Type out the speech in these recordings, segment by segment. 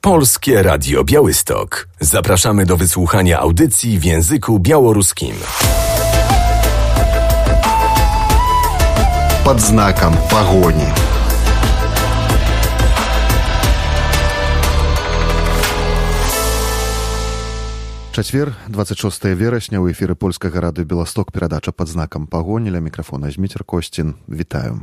Polskie Radio Białystok. Zapraszamy do wysłuchania audycji w języku białoruskim. Pod znakiem pogoni. Чацвер, 26 верасня, у эфіры Польскага радыё Беласток, перадача «Пад знакам пагоні», ля мікрафона Зміцер Косцін. Вітаю.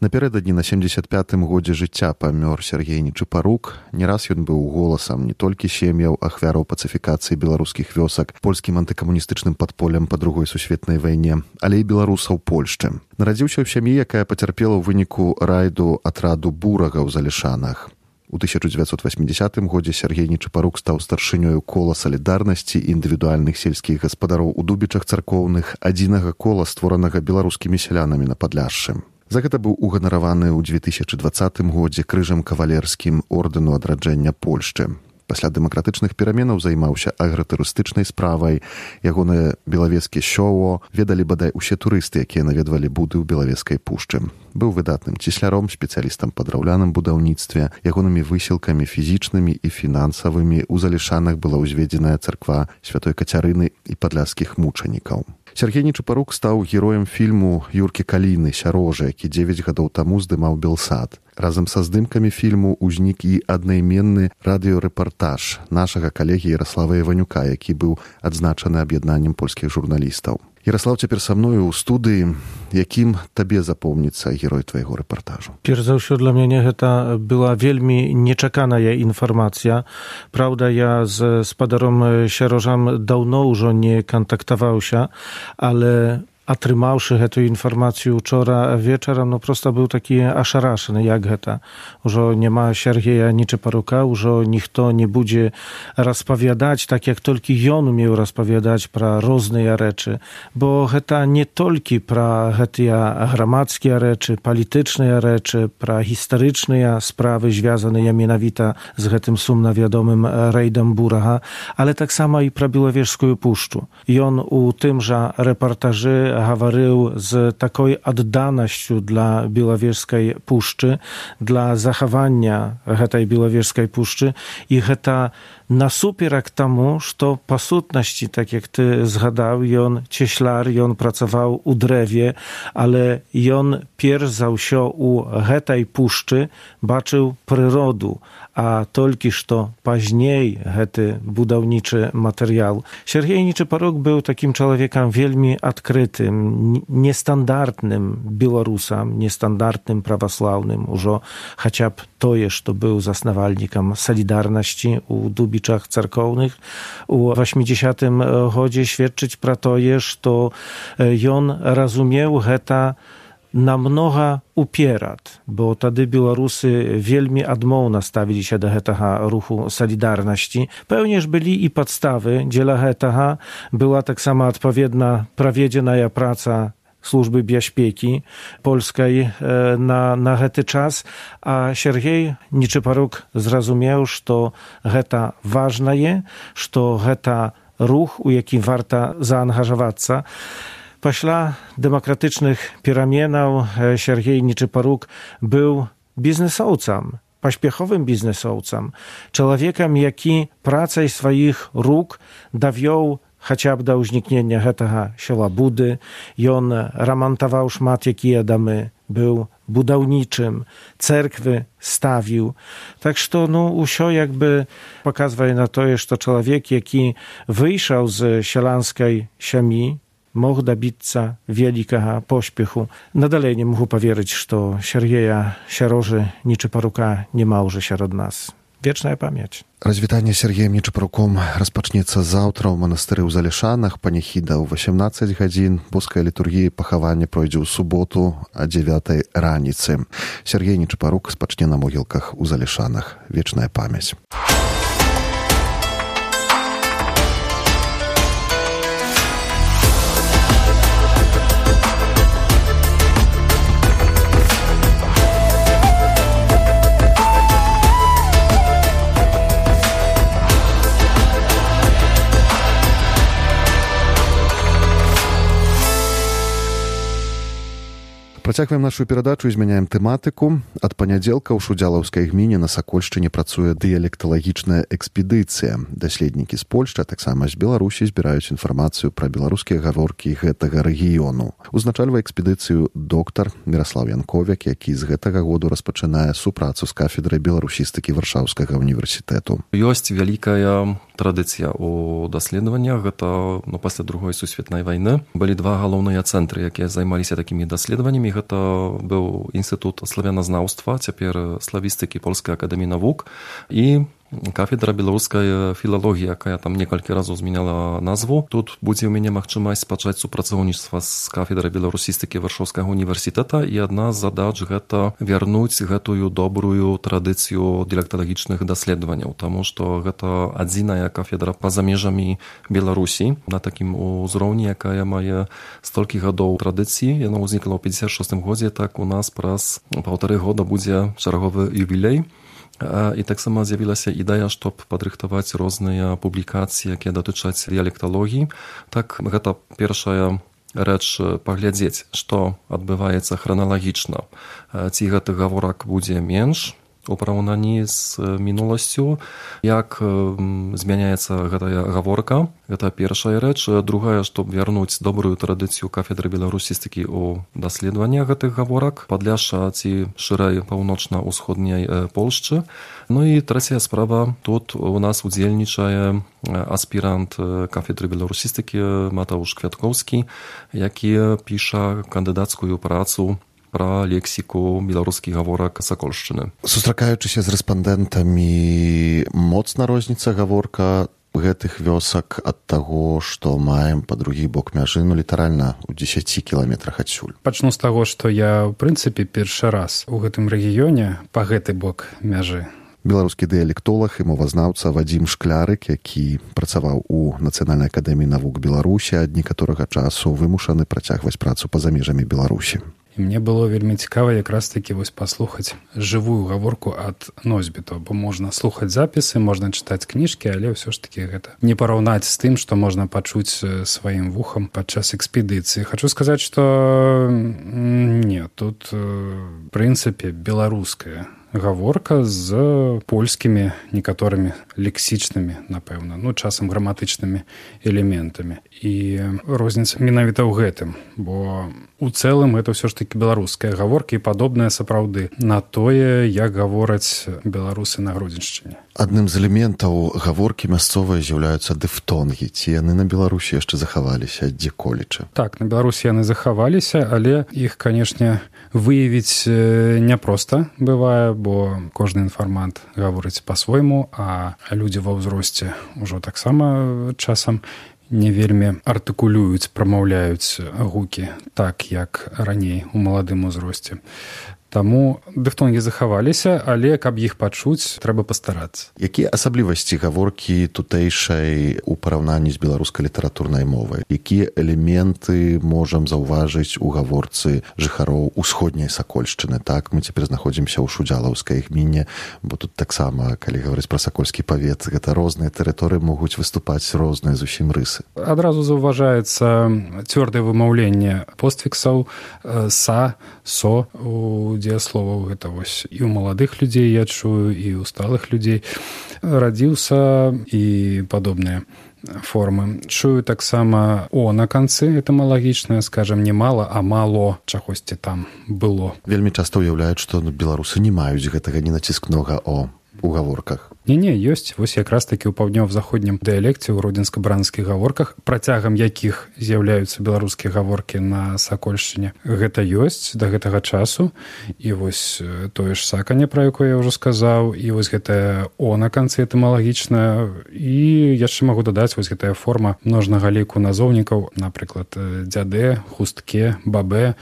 Напярэдадні на 75-м годзе жыцця памёр Сергей Нечапарук. Не раз ён быў голасам не толькі сем'яў ахвяраў пацыфікацыі беларускіх вёсак, польскім антыкамуністычным падполем па Другой сусветнай вайне, але і беларусаў Польшчы. Нарадзіўся ў сям'і, якая пацярпела ў выніку райду атраду бурага ў Залешанах. У 1980 годзе Сергей Нечапарук стаў старшынёю кола салідарнасці індывідуальных сельскіх гаспадароў у Дубічах царкоўных, адзінага кола, створанага беларускімі сялянамі на Падляшшы. За гэта быў уганараваны ў 2020 годзе крыжам кавалерскім ордэну адраджэння Польшчы. Пасля дэмакратычных пераменаў займаўся агратурыстычнай справай. Ягонае белавескі шоу ведалі бадай усе турысты, якія наведвалі буды ў Белавескай пушчы. Быў выдатным цесляром, спецыялістам па драўляным будаўніцтве. Ягонымі высілкамі фізічнымі і фінансавымі ў Залешанах была ўзведзеная царква святой Кацярыны і падляшскіх мучанікаў. Сергей Нечапарук стаў героем фільму Юркі Каліны «Сярожа», які 9 гадоў таму здымаў Белсад. Разам са здымкамі фільму ўзнік і аднайменны радыёрэпартаж нашага калегі Яраслава Іванюка, які быў адзначаны аб'яднаннем польскіх журналістаў. Яраслав, цяпер са мною ў студыі. Якім табе запомніцца герой твайго рэпартажу? Перш за ўсё, для мяне гэта была вельмі нечаканая інфармацыя. Праўда, я з спадаром Сярожам даўно ўжо не кантактаваўся, але атрымаўшы гэту інфармацыю учора вечарам, проста быў такі ашарашаны, як гэта. Ужо няма Сергея Нечапарука, ужо ніхто не будзе распавядаць, так як толькі ён умеў распавядаць пра розныя рэчы. Бо гэта не толькі пра гэтыя грамадскія рэчы, палітычныя рэчы, пра гістарычныя справы, звязаныя менавіта з гэтым сумна вядомым рэйдам бурага, але таксама і пра Белавежскую пушчу. Ён у тым жа рэпартажы гаварыў з такой адданасцю для Белавежскай пушчы, для захавання гэтай Белавежскай пушчы, і гэта насуперак таму, што па сутнасці, так як ты згадаў, ён цесляр, ён працаваў у дрэве, але ён перш за ўсё у гэтай пушчы бачыў прыроду, а толькі што пазней гэты будаўнічы матэрыял. Сергей Нечапарук быў такім чалавекам вельмі адкрытым, нестандартным беларусам, нестандартным праваслаўным, ужо хаця б тое, што быў заснавальнікам салідарнасці у Дубічах царкоўных. У 80-м годзе сведчыць пра тое, што ён разумеў гэта намнога уперад, бо тады беларусы вельмі адмоўна ставіліся да гэтага руху салідарнасці. Пэўне ж былі і падставы дзеля гэтага. Была таксама адпаведна праведзеная праца службы бяспекі польскай на гэты час, а Сергей Нечапарук зразумеў, што гэта важнае, што гэта рух, у які варта заангажавацца. Пасля дэмакратычных пераменаў Сергей Нечапарук быў бізнесоўцам, паспяховым бізнесоўцам, чалавекам, які працай сваіх рук давёў хаця б да ўзнікнення гэтага села Буды. Ён рамантаваў шмат якія дамы, быў будаўнічым, цэрквы ставіў. Так што, ўсё як бы паказвае на тое, што чалавек, які выйшаў з сяланскай сям'і, мог дабіцца вялікага поспеху. Надалей не магу паверыць, што Сергея Сярожы Нечапарука няма ўжо сярод нас. Вечная памяць. Развітанне Сергеем Нечапаруком распачнецца заўтра ў манастыры ў Залешанах, паніхіда ў 18 гадзін. Боская літургія пахавання пройдзе ў суботу а 9 раніцы. Сергей Нечапарук спачне на могілках у Залешанах. Вечная памяць. Працягваем нашу перадачу і змяняем тэматыку. Ад панядзелка ў Шудзялаўскай гміне на Сакольшчыне працуе дыялекталагічная экспедыцыя. Даследнікі з Польшчы, а таксама з Беларусі збіраюць інфармацыю пра беларускія гаворкі гэтага рэгіёну. Узначальвае экспедыцыю доктар Міраслаў Янковік, які з гэтага году распачынае супрацу з кафедрай беларусістыкі Варшаўскага універсітэту. Ёсць вялікая традыцыя ў даследаваннях. Гэта пасля другой сусветнай вайны былі два галоўныя цэнтры, якія займаліся такімі даследаваннямі. Гэта быў інстытут славяназнаўства, цяпер славістыкі Польскай акадэміі навук, і кафедра беларускай філалогіі, якая там некалькі разоў змяняла назву. Тут будзе ў мяне магчымасць пачаць супрацоўніцтва з кафедрай беларусістыкі Варшаўскага універсітэта, і адна з задач гэта вярнуць гэтую добрую традыцыю дыялекталагічных даследаванняў, таму што гэта адзіная кафедра па-за межамі Беларусі на такім узроўні, якая мае столькі гадоў традыцыі. Яна ўзнікла ў 56 годзе, так у нас праз 1,5 года будзе чарговы юбілей. І таксама з'явілася ідэя, щоб падрыхтаваць розныя публікацыі, якія датычаць дыялекталогіі. Так, гэта першая рэч паглядзець, што адбываецца храналагічна. Ці гэты гаворак будзе менш у параўнанні з мінуласцю, як змяняецца гэтая гаворка. Гэта першая рэч. Другая, щоб вярнуць добрую традыцыю кафедры беларусістыкі ў даследаваннях гэтых гаворак, падляшша ці шырэй паўночна-ўсходняй Польшчы. Ну і трэцяя справа, тут у нас удзельнічае аспірант кафедры беларусістыкі Матауш Квяткоўскі, які піша кандыдацкую працу пра лексіку беларускіх гаворак Сакольшчыны. Сустракаючыся з рэспандэнтамі, моцна розніца гаворка гэтых вёсак ад таго, што маем па другі бок мяжы, літаральна ў 10 кіламетрах адсюль. Пачну з таго, што я, ў прынцыпе, першы раз у гэтым рэгіёне па гэты бок мяжы. Беларускі дыялектолаг і мовазнаўца Вадзім Шклярык, які працаваў у Нацыянальнай акадэміі навук Беларусі, ад некаторага часу вымушаны працягваць працу па-за межамі Беларусі. І мне было вельмі цікава якраз такі паслухаць жывую гаворку ад носьбітаў, бо можна слухаць запісы, можна чытаць кніжкі, але ўсё ж такі гэта не параўнаць з тым, што можна пачуць сваім вухам падчас экспедыцыі. Хачу сказаць, што не, тут в прынцыпе беларуская гаворка з польскімі некаторымі лексічнымі, напэўна, часам граматычнымі элементамі. І розніца менавіта ў гэтым, бо у цэлым гэта ўсё ж такі беларуская гаворка і падобная сапраўды на тое, як гавораць беларусы на Гродзеншчыне. Адным з элементаў гаворкі мясцовыя з'яўляюцца дыфтонгі. Ці яны на Беларусі яшчэ захаваліся дзе-колечы? Так, на Беларусі яны захаваліся, але іх, канешне, выявіць няпроста бывае, бо кожны інфармант гаворыць па-свойму, а людзі ва ўзросце ўжо таксама часам не вельмі артыкулююць, прамаўляюць гукі так, як раней у маладым узросце. Таму дыфтонгі захаваліся, але каб іх пачуць, трэба пастарацца. Якія асаблівасці гаворкі тутэйшай у параўнанні з беларускай літаратурнай мовай? Якія элементы можам заўважыць у гаворцы жыхароў усходняй Сакольшчыны? Так, мы цяпер знаходзімся ў Шудзялаўскай гміне, бо тут таксама, калі гаварыць пра сакольскі павет, гэта розныя тэрыторыі могуць выступаць розныя зусім рысы. Адразу заўважаецца цвёрдае вымаўленне постфіксаў са, со у дзеясловаў. Гэта і ў маладых людзей я чую, і ў сталых людзей. Радзіўся і падобныя формы. Чую таксама о на канцы этымалагічнае, скажам, не мала, а мало чагосьці там было. Вельмі часта ўяўляюць, што беларусы не маюць гэтага ненаціскнога о у гаворках. Не, ёсць. Вось якраз такі ў паўднёва-заходнім дыялекце, ў гродзенска-бранскіх гаворках, працягам якіх з'яўляюцца беларускія гаворкі на Сакольшчыне. Гэта ёсць да гэтага часу. І вось тое ж саканне, пра якое я ўжо сказаў, і вось гэтае о на канцы этымалагічнае. І яшчэ магу дадаць вось гэтая форма множнага ліку назоўнікаў, напрыклад, дзядэ, хустке, бабе.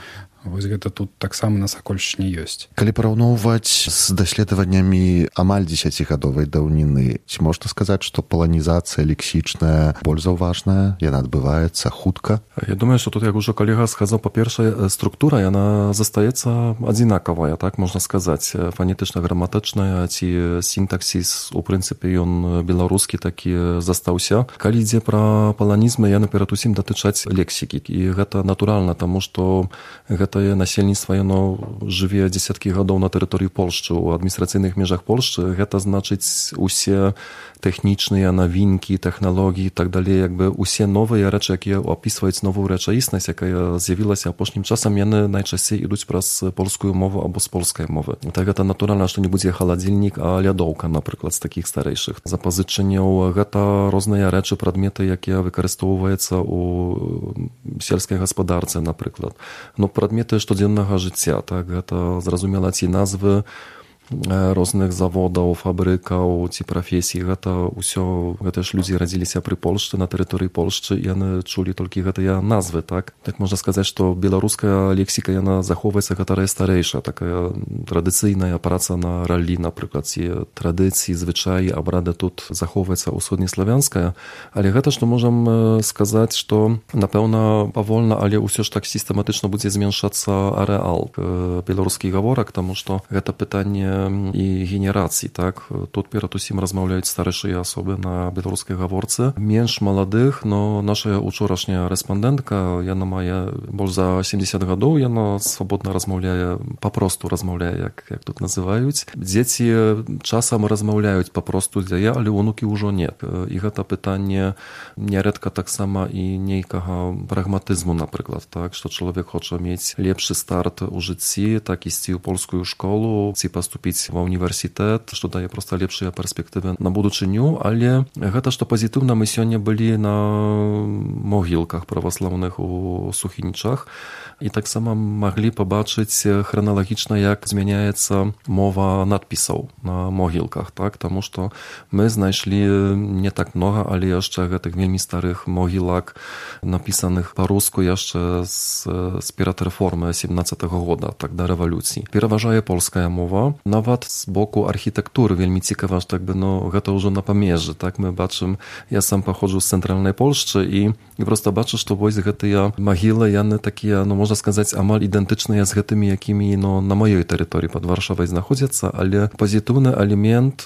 Вось гэта тут таксама на Сакольшчыне ёсць. Калі параўноўваць з даследаваннямі амаль 10гадовай даўніны, ці можна сказаць, што паланізацыя лексічная больш заўважная, яна адбываецца хутка? Я думаю, што тут, як ужо калега сказаў, па-першае, структура, яна застаецца адзінакавая, так можна сказаць, фанетычна-граматычная, ці сінтаксіс, у прынцыпе, ён беларускі такі застаўся. Калі ідзе пра паланізмы, яны перад усім датычаць лексікі, і гэта натуральна, таму што гэта гэтае насельніцтва яно жыве дзесяткі гадоў на тэрыторыі Польшчы у адміністрацыйных межах Польшчы, гэта значыць усе тэхнічныя навінкі, тэхналогіі і так далей, якби усе новыя рэчы, якія опісваюць новую рэчаіснасць, якая з'явілася апошнім часам, яны найчасцей ідуць праз польскую мову або з польскай мовы. Так гэта натуральна, што не будзе халадзільнік, а лядоўка, напрыклад, з такіх старэйшых запазычанняў. Гэта розныя рэчы, прадметы, якія выкарыстоўваюцца у сельскай гаспадарцы, напрыклад. Ну, прадметы штодзеннага жыцця, так, гэта зразумела ці назвы розных заводаў, фабрыкаў ці прафесій, гэта ўсё, гэта ж людзі радзіліся пры Польшчы, на тэрыторыі Польшчы, і яны чулі толькі гэтыя назвы, так? Так можна сказаць, што беларуская лексіка, яна захоўваецца, гэтая старэйшая, такая традыцыйная праца на раллі, напрыклад, ці традыцыі, звычаі, абрады тут захоўваецца ўсходнеславянская, але гэта, што можам сказаць, што, напэўна, павольна, але ўсё ж так сістэматычна будзе зменшацца арэал беларускіх гаворак, таму што гэта пытанне і генерацый, так? Тут перад усім размаўляюць старэйшыя асобы на беларускай гаворцы. Менш маладых, но наша учорашняя рэспандэнтка, яна мае больш за 70 гадоў, яна свабодна размаўляе, папросту размаўляе, як тут называюць. Дзеці часам размаўляюць папросту, але унукі ўжо не. І гэта пытанне нярэдка таксама і нейкага прагматызму, напрыклад, так? Што чалавек хоча мець лепшы старт у жыцці, так ісці ў польскую школу, ці паступіць ва ўніверсітэт, што дае проста лепшыя перспектывы на будучыню, але гэта, што пазітыўна, мы сёння былі на могілках праваслаўных у Сухінічах і таксама маглі пабачыць храналагічна, як змяняецца мова надпісаў на могілках, так? Таму што мы знайшлі не так многа, але яшчэ гэтых вельмі старых могілак, напісаных па-руску яшчэ з перад рэформы 17-го года, так, да рэвалюцыі. Пераважае польская мова. Нават з боку архітэктуры вельмі цікава, што гэта ўжо на памежжы, так? Мы бачым, я сам паходжу з цэнтральнай Польшчы і проста бачу, што вось гэтыя магілы, яны такія, можна сказаць, амаль ідэнтычныя з гэтымі, якімі на маёй тэрыторыі пад Варшавай знаходзяцца, але пазітыўны элемент,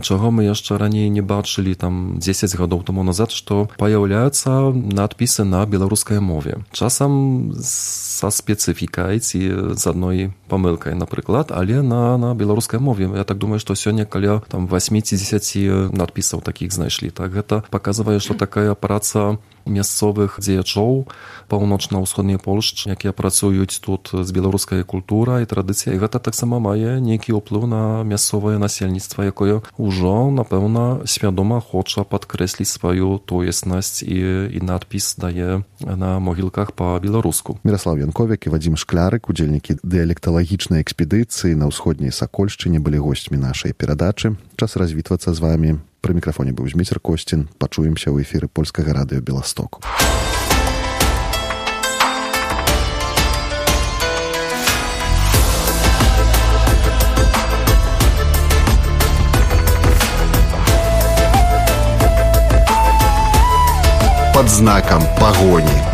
чаго мы яшчэ раней не бачылі, там 10 гадоў таму назад, што паяўляюцца надпісы на беларускай мове. Часам са спецыфікай ці з адной памылкай, напрыклад, але на беларускай мове. Я так думаю, што сёння каля 8-10 надпісаў такіх знайшлі. Так, гэта паказвае, што такая праца мясцовых дзеячоў паўночна-ўсходняй Польшчы, якія працуюць тут з беларускай культурай і традыцыяй. Гэта таксама мае нейкі ўплыў на мясцовае насельніцтва, якое ўжо, напэўна, свядома хоча падкрэсліць сваю тоеснасць і надпіс дае на могілках па-беларуску. Міраслаў Янковік і Вадзім Шклярык, удзельнікі дыялекталагічнай экспедыцыі на ўсходняй Сакольшчыне, былі госцямі нашай перадачы. Час развітвацца з вамі. Пры мікрафоне быў Зміцер Косцін. Пачуемся ў эфіры польскага радыё Беласток. Под знаком погони.